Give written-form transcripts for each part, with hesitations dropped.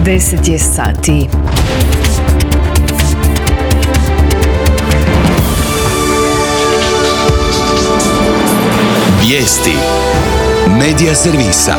10 je sati. Vijesti Medija servisa.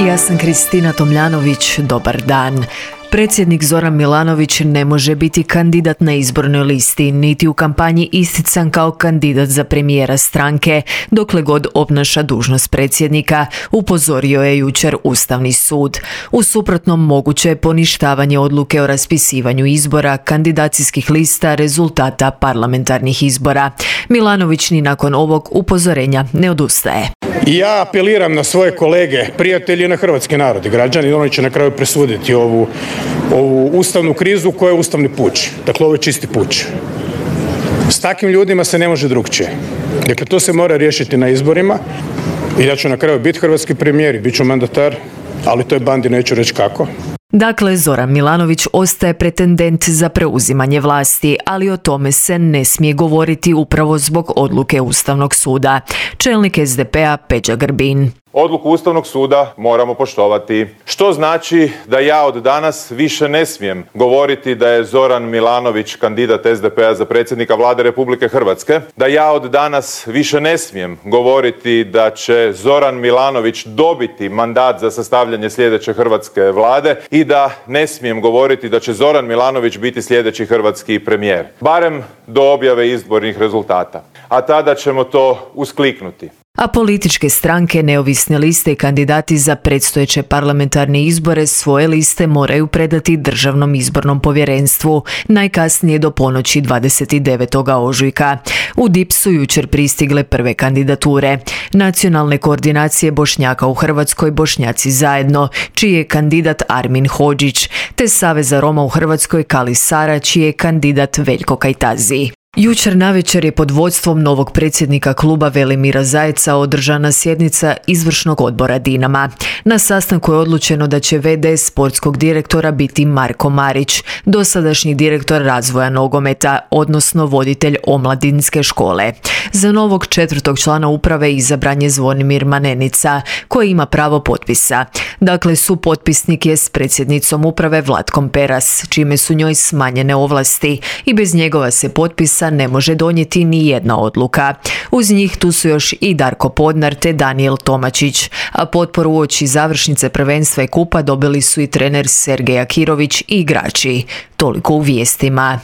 Ja sam Kristina Tomljanović, dobar dan. Predsjednik Zoran Milanović ne može biti kandidat na izbornoj listi, niti u kampanji istican kao kandidat za premijera stranke, dokle god obnaša dužnost predsjednika, upozorio je jučer Ustavni sud. U suprotnom moguće je poništavanje odluke o raspisivanju izbora, kandidacijskih lista, rezultata parlamentarnih izbora. Milanović ni nakon ovog upozorenja ne odustaje. I ja apeliram na svoje kolege, prijatelji i na hrvatski narod i građani, oni će na kraju presuditi ovu ustavnu krizu koja je ustavni puč. Dakle, ovo je čisti puč. S takvim ljudima se ne može drukčije. Dakle, to se mora riješiti na izborima i ja ću na kraju biti hrvatski premijer i bit ću mandatar, ali toj bandi neću reći kako. Dakle, Zoran Milanović ostaje pretendent za preuzimanje vlasti, ali o tome se ne smije govoriti upravo zbog odluke Ustavnog suda. Čelnik SDP-a Peđa Grbin. Odluku Ustavnog suda moramo poštovati. Što znači da ja od danas više ne smijem govoriti da je Zoran Milanović kandidat SDP-a za predsjednika Vlade Republike Hrvatske, da ja od danas više ne smijem govoriti da će Zoran Milanović dobiti mandat za sastavljanje sljedeće hrvatske Vlade i da ne smijem govoriti da će Zoran Milanović biti sljedeći hrvatski premijer. Barem do objave izbornih rezultata. A tada ćemo to uskliknuti. A političke stranke, neovisne liste i kandidati za predstojeće parlamentarne izbore svoje liste moraju predati Državnom izbornom povjerenstvu najkasnije do ponoći 29. ožujka. U DIP su jučer pristigle prve kandidature. Nacionalne koordinacije Bošnjaka u Hrvatskoj Bošnjaci zajedno, čiji je kandidat Armin Hodžić, te Saveza Roma u Hrvatskoj Kali Sara, čiji je kandidat Veljko Kajtazi. Jučer navečer je pod vodstvom novog predsjednika kluba Velimira Zajca održana sjednica izvršnog odbora Dinama. Na sastanku je odlučeno da će v.d. sportskog direktora biti Marko Marić, dosadašnji direktor razvoja nogometa, odnosno voditelj omladinske škole. Za novog četvrtog člana uprave izabran je Zvonimir Manenica, koji ima pravo potpisa. Dakle, supotpisnik je s predsjednicom uprave Vlatkom Peras, čime su njoj smanjene ovlasti i bez njegova se potpisa ne može donijeti ni jedna odluka. Uz njih tu su još i Darko Podnar te Danijel Tomačić, a potporu uoči završnice prvenstva i kupa dobili su i trener Sergej Akirović i igrači. Toliko u vijestima.